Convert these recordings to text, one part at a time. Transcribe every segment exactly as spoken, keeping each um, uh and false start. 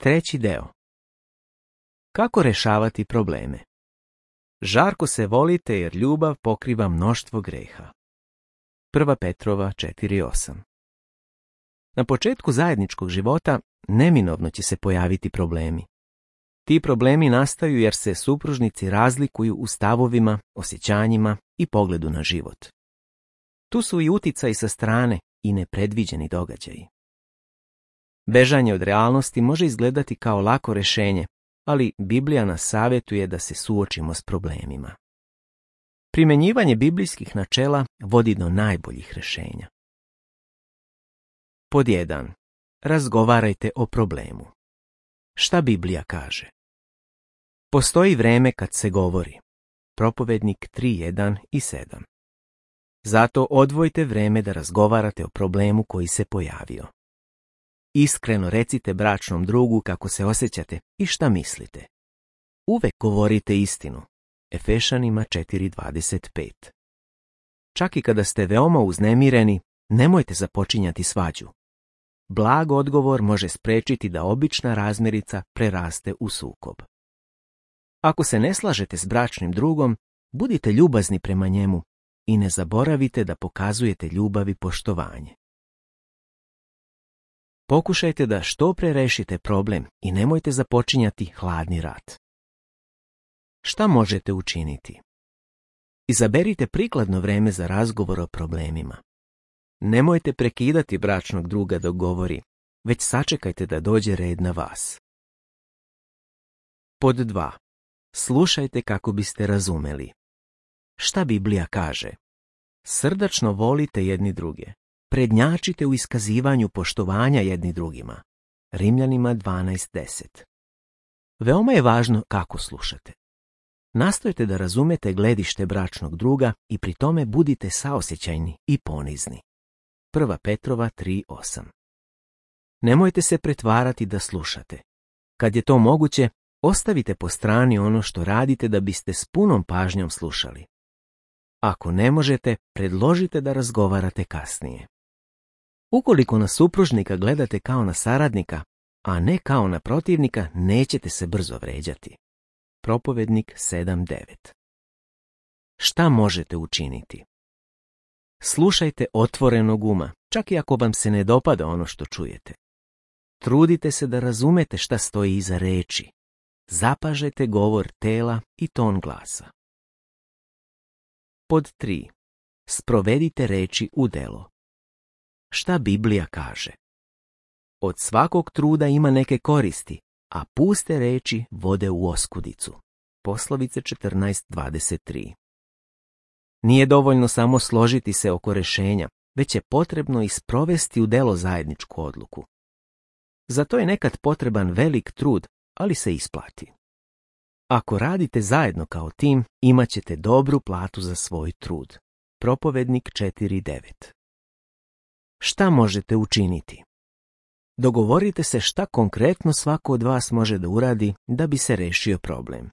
Treći deo. Kako rješavati probleme? Žarko se volite jer ljubav pokriva mnoštvo greha. Prva Petrova četiri osam. Na početku zajedničkog života neminovno će se pojaviti problemi. Ti problemi nastaju jer se supružnici razlikuju u stavovima, osjećanjima i pogledu na život. Tu su i uticaji sa strane i nepredviđeni događaji. Bežanje od realnosti može izgledati kao lako rješenje, ali Biblija nas savjetuje da se suočimo s problemima. Primjenjivanje biblijskih načela vodi do najboljih rješenja. Pod jedan. Razgovarajte o problemu. Šta Biblija kaže? Postoji vreme kad se govori. Propovednik tri jedan i sedam. Zato odvojite vreme da razgovarate o problemu koji se pojavio. Iskreno recite bračnom drugu kako se osjećate i šta mislite. Uvek govorite istinu. Efešanima četiri dvadeset pet. Čak i kada ste veoma uznemireni, nemojte započinjati svađu. Blag odgovor može spriječiti da obična razmirica preraste u sukob. Ako se ne slažete s bračnim drugom, budite ljubazni prema njemu i ne zaboravite da pokazujete ljubav i poštovanje. Pokušajte da što pre rešite problem i nemojte započinjati hladni rat. Šta možete učiniti? Izaberite prikladno vreme za razgovor o problemima. Nemojte prekidati bračnog druga dok govori, već sačekajte da dođe red na vas. Pod dva. Slušajte kako biste razumeli. Šta Biblija kaže? Srdačno volite jedni druge. Prednjačite u iskazivanju poštovanja jedni drugima. Rimljanima dvanaest deset. Veoma je važno kako slušate. Nastojte da razumete gledište bračnog druga i pri tome budite saosjećajni i ponizni. Prva Petrova tri osam. Nemojte se pretvarati da slušate. Kad je to moguće, ostavite po strani ono što radite da biste s punom pažnjom slušali. Ako ne možete, predložite da razgovarate kasnije. Ukoliko na supružnika gledate kao na saradnika, a ne kao na protivnika, nećete se brzo vređati. Propovednik sedam devet. Šta možete učiniti? Slušajte otvorenog uma, čak i ako vam se ne dopada ono što čujete. Trudite se da razumete šta stoji iza reči. Zapažajte govor tela i ton glasa. Pod tri. Sprovedite reči u delo. Šta Biblija kaže? Od svakog truda ima neke koristi, a puste reči vode u oskudicu. Poslovice četrnaest dvadeset tri. Nije dovoljno samo složiti se oko rješenja, već je potrebno i sprovesti u delo zajedničku odluku. Za to je nekad potreban velik trud, ali se isplati. Ako radite zajedno kao tim, imat ćete dobru platu za svoj trud. Propovednik četiri devet. Šta možete učiniti? Dogovorite se šta konkretno svako od vas može da uradi da bi se rešio problem.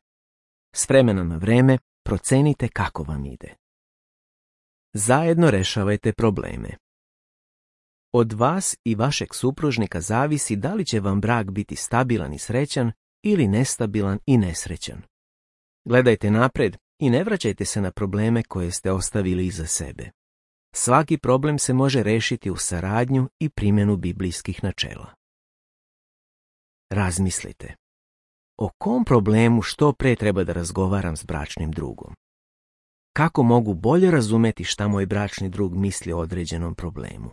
S vremena na vreme procenite kako vam ide. Zajedno rešavajte probleme. Od vas i vašeg supružnika zavisi da li će vam brak biti stabilan i srećan ili nestabilan i nesrećan. Gledajte napred i ne vraćajte se na probleme koje ste ostavili iza sebe. Svaki problem se može rešiti u saradnju i primjenu biblijskih načela. Razmislite. O kom problemu što pre treba da razgovaram s bračnim drugom? Kako mogu bolje razumeti šta moj bračni drug misli o određenom problemu?